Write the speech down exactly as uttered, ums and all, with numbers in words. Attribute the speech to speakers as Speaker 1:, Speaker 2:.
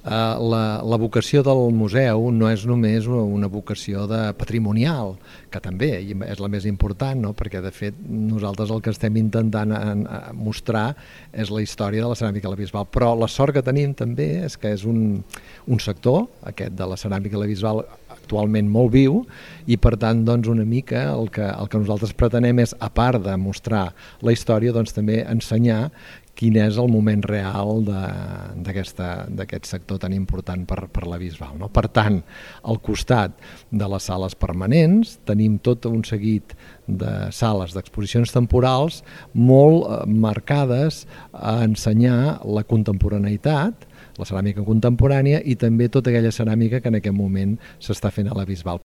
Speaker 1: la, la vocació del museu no és només una vocació de patrimonial, que també és la més important, no? Perquè de fet nosaltres el que estem intentant mostrar és la història de la ceràmica a la Bisbal, però la sort que tenim també és que és un, un sector, aquest de la ceràmica a la Bisbal, actualment molt viu, i per tant doncs, una mica el que, el que nosaltres pretenem és, a part de mostrar la història, doncs, també ensenyar quin és el moment real d'aquest sector tan important per, per la Bisbal, no? Per tant, al costat de les sales permanents tenim tot un seguit de sales d'exposicions temporals molt marcades a ensenyar la contemporaneïtat, la ceràmica contemporània i també tota aquella ceràmica que en aquest moment s'està fent a la Bisbal.